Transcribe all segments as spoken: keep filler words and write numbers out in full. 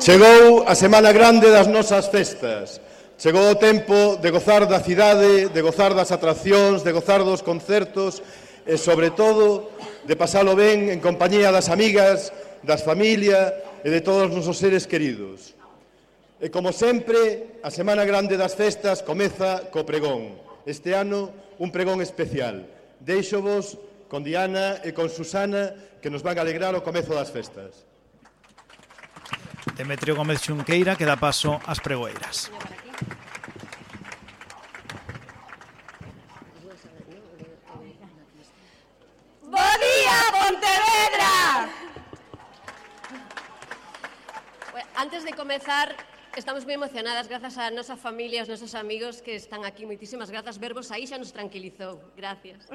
Chegou a Semana Grande das nosas festas. Chegou o tempo de gozar da cidade, de gozar das atraccións, de gozar dos concertos e, sobre todo, de pasalo ben en compañía das amigas, das familias e de todos os nosos seres queridos. E, como sempre, a Semana Grande das festas comeza co pregón. Este ano, un pregón especial. Deixo-vos con Diana e con Susana, que nos van a alegrar o comezo das festas. Demetrio Gómez Xunqueira, que dá paso ás pregoeiras. Bo día, Pontevedra! Antes de comezar, estamos moi emocionadas grazas á nosa familia, aos nosos amigos que están aquí. Moitísimas grazas, vervos aí xa nos tranquilizou. Gracias.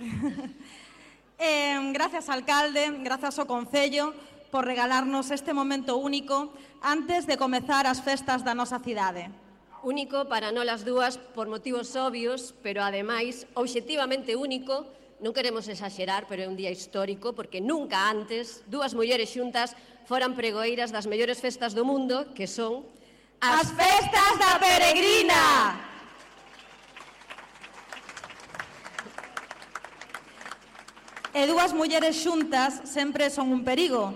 eh, Gracias, alcalde, grazas ao Concello por regalarnos este momento único antes de comezar as festas da nosa cidade. Único para nolas dúas por motivos obvios, pero ademais, obxectivamente único. Non queremos exaxerar, pero é un día histórico porque nunca antes dúas mulleres xuntas foran pregoeiras das mellores festas do mundo, que son as festas da Peregrina. E dúas mulleres xuntas sempre son un perigo,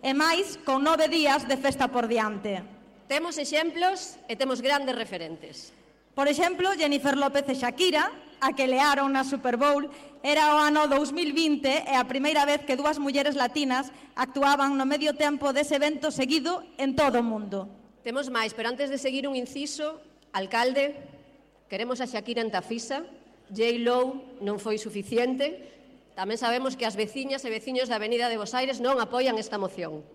e máis con nove días de festa por diante. Temos exemplos e temos grandes referentes. Por exemplo, Jennifer López e Shakira, a que learon na Super Bowl, era o ano dous mil vinte e a primeira vez que dúas mulleres latinas actuaban no medio tempo dese evento seguido en todo o mundo. Temos máis, pero antes de seguir un inciso, alcalde, queremos a Shakira en Tafisa, J-Lo non foi suficiente. Tamén sabemos que as veciñas e veciños da Avenida de Bos Aires non apoian esta moción.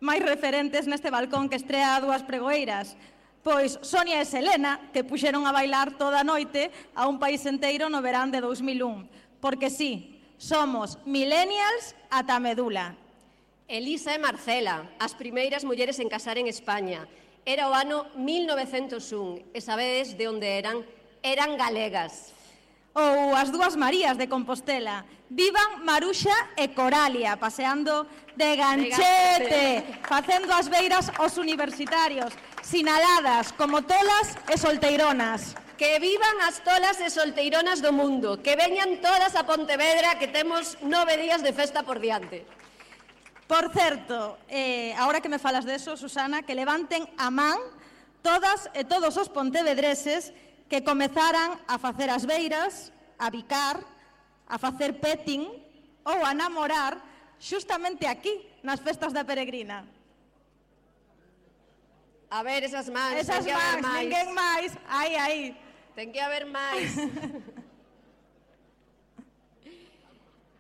Máis referentes neste balcón que estrea dúas pregoeiras, pois Sonia e Selena, que puxeron a bailar toda a noite a un país enteiro no verán de dous mil un. Porque sí, somos millennials ata a medula. Elisa e Marcela, as primeiras mulleres en casar en España. Era o ano mil novecentos un, e sabedes de onde eran? Eran galegas. Ou as dúas Marías de Compostela. Vivan Maruxa e Coralia, paseando de ganchete, facendo as beiras aos universitarios, sinaladas como tolas e solteironas. Que vivan as tolas e solteironas do mundo, que veñan todas a Pontevedra, que temos nove días de festa por diante. Por certo, eh, agora que me falas de eso, Susana, que levanten a man todas e todos os pontevedreses que comezaran a facer as beiras, a bicar, a facer petting ou a namorar xustamente aquí, nas festas da Peregrina. A ver, esas mans, esas ten que haber mans, máis. ninguén máis, aí, aí. Ten que haber máis.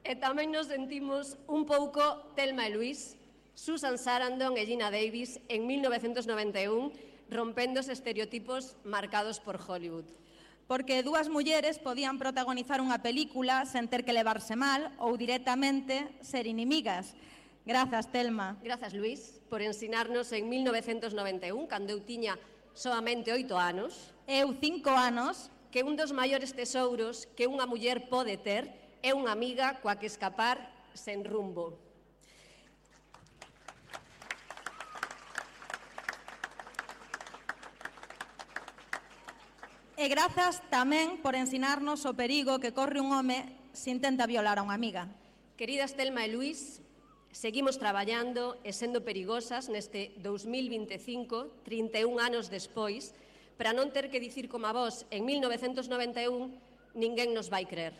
E tamén nos sentimos un pouco Thelma e Luis, Susan Sarandon e Gina Davis en mil novecentos noventa e un, rompendo os estereotipos marcados por Hollywood. Porque dúas mulleres podían protagonizar unha película sen ter que levarse mal ou directamente ser inimigas. Grazas, Thelma. Grazas, Luis, por ensinarnos en mil novecentos noventa e un, cando eu tiña soamente oito anos, eu cinco anos, que un dos maiores tesouros que unha muller pode ter é unha amiga coa que escapar sen rumbo. E grazas tamén por ensinarnos o perigo que corre un home se intenta violar a unha amiga. Queridas Thelma e Luis, seguimos traballando e sendo perigosas neste dous mil vinte e cinco, trinta e un anos despois, para non ter que dicir como a vos en mil novecentos noventa e un, ninguén nos vai crer.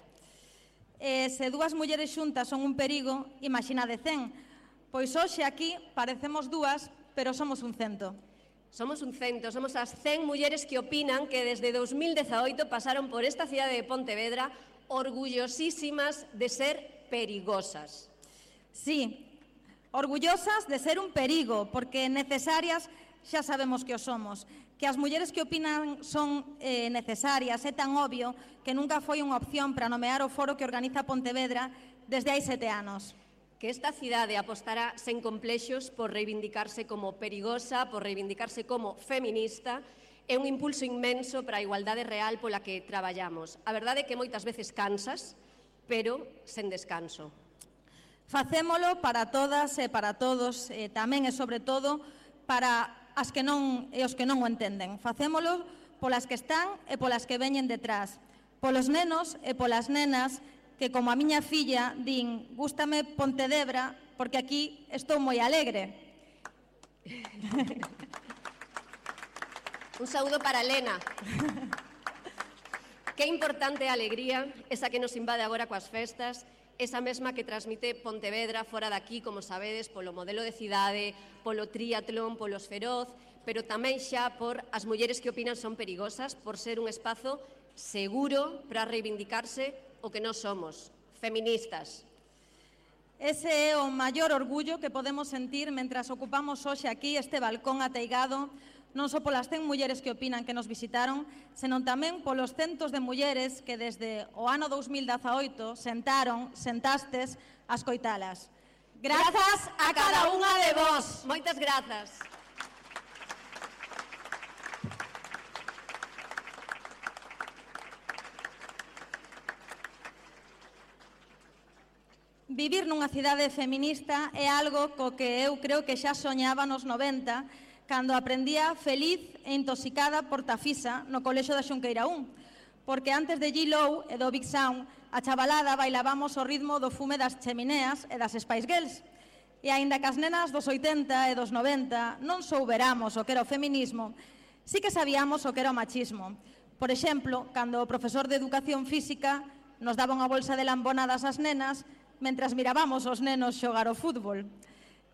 E se dúas mulleres xuntas son un perigo, imaxinade cen, pois hoxe aquí parecemos dúas, pero somos un cento. Somos un cento, somos as cen mulleres que opinan que desde dous mil dezaoito pasaron por esta cidade de Pontevedra orgullosísimas de ser perigosas. Sí, orgullosas de ser un perigo, porque necesarias xa sabemos que o somos. Que as mulleres que opinan son eh, necesarias é tan obvio que nunca foi unha opción para nomear o foro que organiza Pontevedra desde hai sete anos. Que esta cidade apostará sen complexos por reivindicarse como perigosa, por reivindicarse como feminista, é un impulso inmenso para a igualdade real pola que traballamos. A verdade é que moitas veces cansas, pero sen descanso. Facémolo para todas e para todos, e tamén e sobre todo para as que non e os que non o entenden. Facémolo polas que están e polas que veñen detrás, polos nenos e polas nenas que, como a miña filla, din: gústame Pontedebra porque aquí estou moi alegre. Un saúdo para Elena. Que importante a alegría, esa que nos invade agora coas festas, esa mesma que transmite Pontevedra fora daqui, como sabedes, polo modelo de cidade, polo triatlón, polos feroz, pero tamén xa por as mulleres que opinan son perigosas, por ser un espazo seguro para reivindicarse o que nós somos, feministas. Ese é o maior orgullo que podemos sentir mentras ocupamos hoxe aquí este balcón ateigado, non só polas cen mulleres que opinan que nos visitaron, senón tamén polos centos de mulleres que desde o ano dous mil dezaoito sentaron, sentastes, a escoitalas. Grazas a cada unha de vós. Moitas grazas. Vivir nunha cidade feminista é algo co que eu creo que xa soñaba nos noventa, cando aprendía feliz e intoxicada por Tafisa no colexo da Xunqueira un, porque antes de G-Low e do Big Sound, a chavalada bailábamos ao ritmo do fume das chemineas e das Spice Girls. E aínda que as nenas dos oitenta e dos noventa non souberamos o que era o feminismo, sí que sabíamos o que era o machismo. Por exemplo, cando o profesor de Educación Física nos daba unha bolsa de lambonadas ás nenas mentras mirábamos os nenos xogar o fútbol.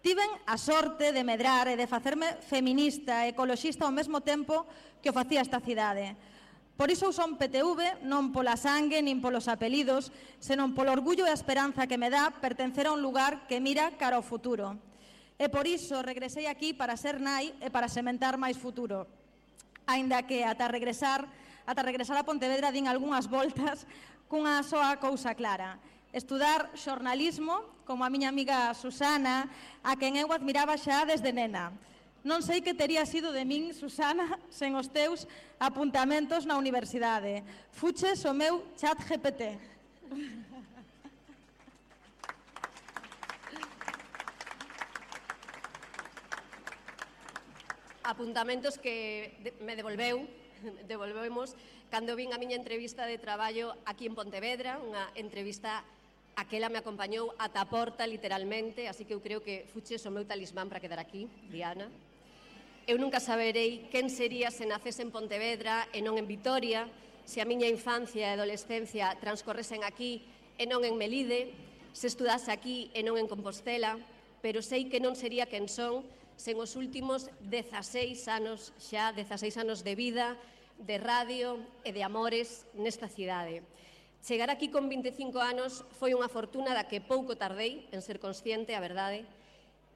Tiven a sorte de medrar e de facerme feminista e ecoloxista ao mesmo tempo que o facía esta cidade. Por iso son P T V non pola sangue nin polos apelidos, senón polo orgullo e a esperanza que me dá pertencer a un lugar que mira cara ao futuro. E por iso regresei aquí para ser nai e para sementar máis futuro. Aínda que ata regresar, ata regresar a Pontevedra din algunhas voltas cunha soa cousa clara: estudar xornalismo, como a miña amiga Susana, a quen eu admiraba xa desde nena. Non sei que tería sido de min, Susana, sen os teus apuntamentos na universidade. Fuches o meu chat G P T. Apuntamentos que me devolveu, devolvemos, cando vin a miña entrevista de traballo aquí en Pontevedra, unha entrevista aquela me acompañou ata a porta, literalmente, así que eu creo que fuches o meu talismán para quedar aquí, Diana. Eu nunca saberei quen sería se nacese en Pontevedra e non en Vitoria, se a miña infancia e adolescencia transcorresen aquí e non en Melide, se estudase aquí e non en Compostela, pero sei que non sería quen son sen os últimos dezaseis anos, xa dezaseis anos de vida, de radio e de amores nesta cidade. Chegar aquí con vinte e cinco anos foi unha fortuna da que pouco tardei en ser consciente, a verdade,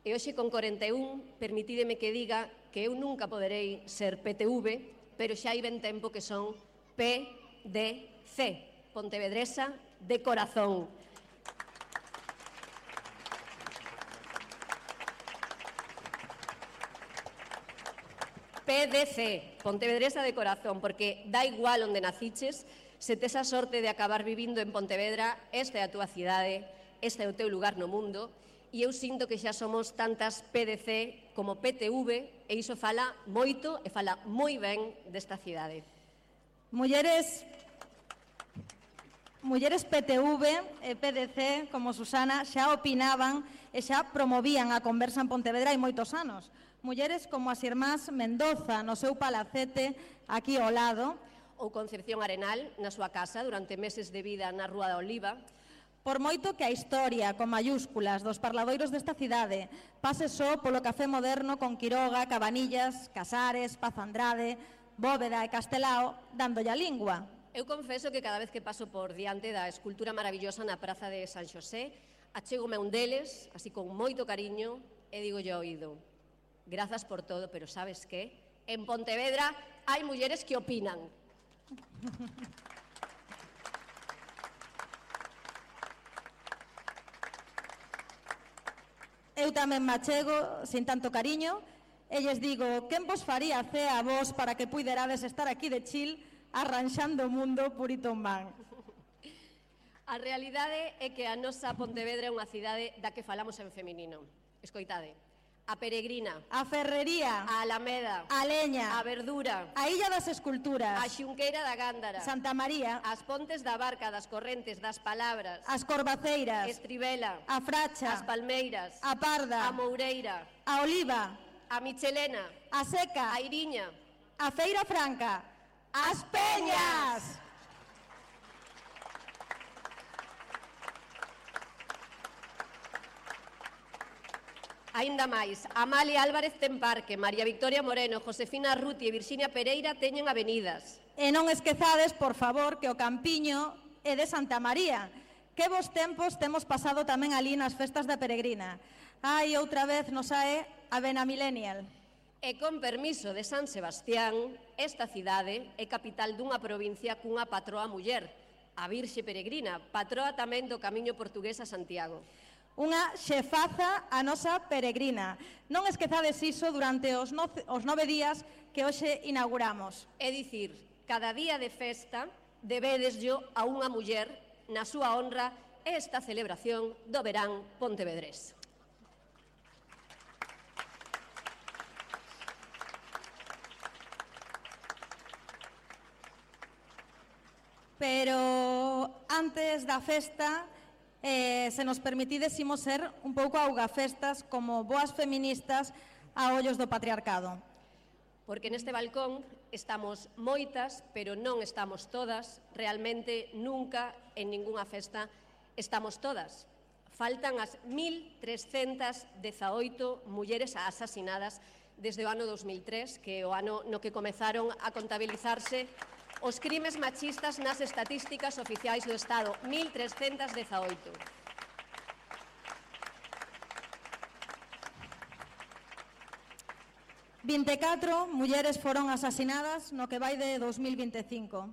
e hoxe con corenta e un permitídeme que diga que eu nunca poderei ser P T V, pero xa hai ben tempo que son P D C, Pontevedresa de corazón. P D C, Pontevedresa de corazón, porque dá igual onde naciches, se tes a sorte de acabar vivindo en Pontevedra, esta é a túa cidade, este é o teu lugar no mundo, e eu sinto que xa somos tantas P D C como P T V, e iso fala moito e fala moi ben desta cidade. Mulleres, mulleres P T V e P D C, como Susana, xa opinaban e xa promovían a conversa en Pontevedra hai moitos anos. Mulleres como as irmás Mendoza no seu palacete aquí ao lado, ou Concepción Arenal na súa casa durante meses de vida na Rúa da Oliva. Por moito que a historia, con mayúsculas, dos parladoiros desta cidade pase só polo café moderno con Quiroga, Cabanillas, Casares, Paz Andrade, Bóveda e Castelao, dándolle a lingua. Eu confeso que cada vez que paso por diante da escultura maravillosa na Praza de San Xosé, achégome un deles, así con moito cariño, e digo yo oído: grazas por todo, pero sabes que? En Pontevedra hai mulleres que opinan. Eu tamén me achego, sin tanto cariño, e lles digo: quen vos faría cea a vos para que puiderades estar aquí de chill arranxando o mundo purito en man? A realidade é que a nosa Pontevedra é unha cidade da que falamos en feminino. Escoitade. A Peregrina, a Ferrería, a Alameda, a Leña, a Verdura, a Illa das Esculturas, a Xunqueira da Gándara, Santa María, as Pontes da Barca, das Correntes, das Palabras, as Corbaceiras, Estribela, a Fracha, as Palmeiras, a Parda, a Moureira, a Oliva, a Michelena, a Seca, a Iriña, a Feira Franca, as Peñas. Aínda máis, Amalia Álvarez ten parque, María Victoria Moreno, Josefina Arruti e Virxinia Pereira teñen avenidas. E non esquezades, por favor, que o Campiño é de Santa María. Que vos tempos temos pasado tamén ali nas festas da Peregrina. Ai, outra vez nos sae a Bena Millennial. E con permiso de San Sebastián, esta cidade é capital dunha provincia cunha patroa muller, a Virxe Peregrina, patroa tamén do Camiño Portugués a Santiago. Unha xefaza a nosa Peregrina. Non esquezades iso durante os, no, os nove días que hoxe inauguramos. É dicir, cada día de festa debedeslle a unha muller na súa honra esta celebración do verán pontevedrés. Pero antes da festa, eh, se nos permitides, imos ser un pouco augafestas como boas feministas a ollos do patriarcado. Porque neste balcón estamos moitas, pero non estamos todas, realmente nunca en ningunha festa estamos todas. Faltan as mil trescentas dezaoito mulleres asasinadas desde o ano dos mil tres, que é o ano no que comezaron a contabilizarse os crimes machistas nas estatísticas oficiais do Estado, mil trescentas dezaoito. vinte e catro mulleres foron asasinadas no que vai de dos mil vinte e cinco.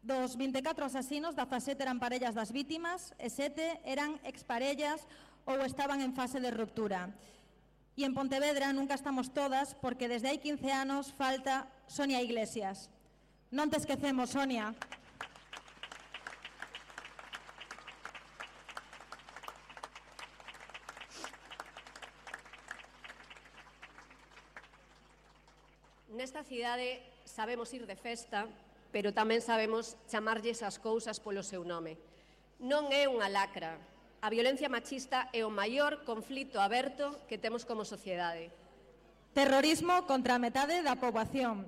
Dos vinte e catro asasinos, dezasete eran parellas das vítimas e sete eran exparellas ou estaban en fase de ruptura. E en Pontevedra nunca estamos todas porque desde hai quince anos falta Sonia Iglesias. Non te esquecemos, Sonia. Nesta cidade sabemos ir de festa, pero tamén sabemos chamarlles as cousas polo seu nome. Non é unha lacra. A violencia machista é o maior conflito aberto que temos como sociedade. Terrorismo contra a metade da poboación.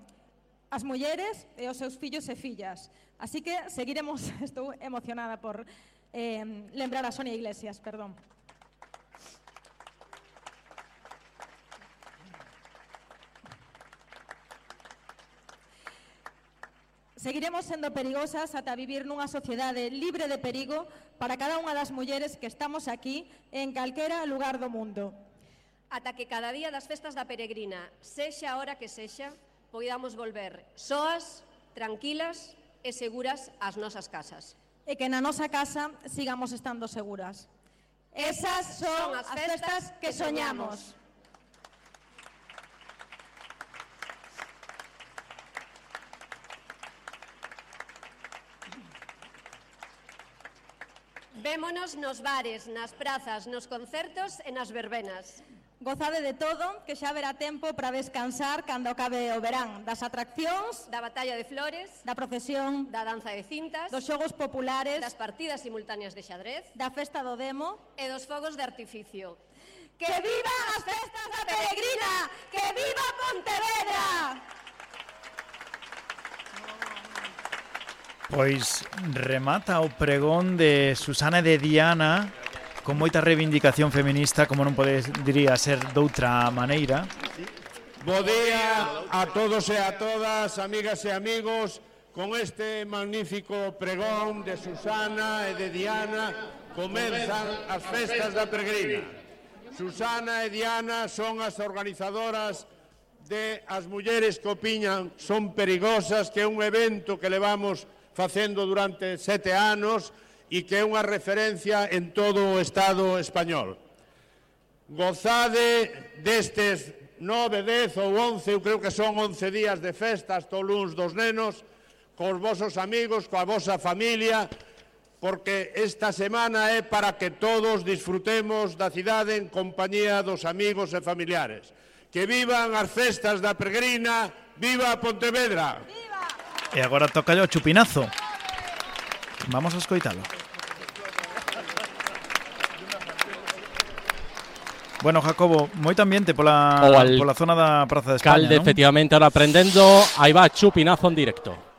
As mulleres e os seus fillos e fillas. Así que seguiremos, estou emocionada por eh, lembrar a Sonia Iglesias, perdón. Seguiremos sendo perigosas ata vivir nunha sociedade libre de perigo para cada unha das mulleres que estamos aquí en calquera lugar do mundo. Ata que cada día das festas da Peregrina, sexa a hora que sexa, poidamos volver soas, tranquilas e seguras ás nosas casas. E que na nosa casa sigamos estando seguras. Esas son as festas que soñamos. Vémonos nos bares, nas prazas, nos concertos e nas verbenas. Gozade de todo, que xa haberá tempo para descansar cando acabe o verán. Das atraccións, Da batalla de flores, da procesión, da danza de cintas, dos xogos populares, das partidas simultáneas de xadrez da festa do demo. e dos fogos de artificio. ¡Que vivan as festas da Peregrina! ¡Que viva Pontevedra! Pois remata o pregón de Susana e de Diana con moita reivindicación feminista, como non podería ser doutra maneira. Bo día a todos e a todas, amigas e amigos, con este magnífico pregón de Susana e de Diana comenzan as festas da Peregrina. Susana e Diana son as organizadoras de As Mulleres que Opiñan Son Perigosas, que é un evento que levamos facendo durante sete anos e que é unha referencia en todo o Estado español. Gozade destes nove, dez ou once, eu creo que son once días de festa hasta o luns dos nenos, cos vosos amigos, coa vosa familia, porque esta semana é para que todos disfrutemos da cidade en compañía dos amigos e familiares. Que vivan as festas da Peregrina, viva Pontevedra! Viva! E agora toca o chupinazo. Vamos a escoitalo. Bueno, Jacobo, moito ambiente pola, pola zona da Praza de España, Calde, non? efectivamente, ahora aprendendo. Aí va chupinazo en directo.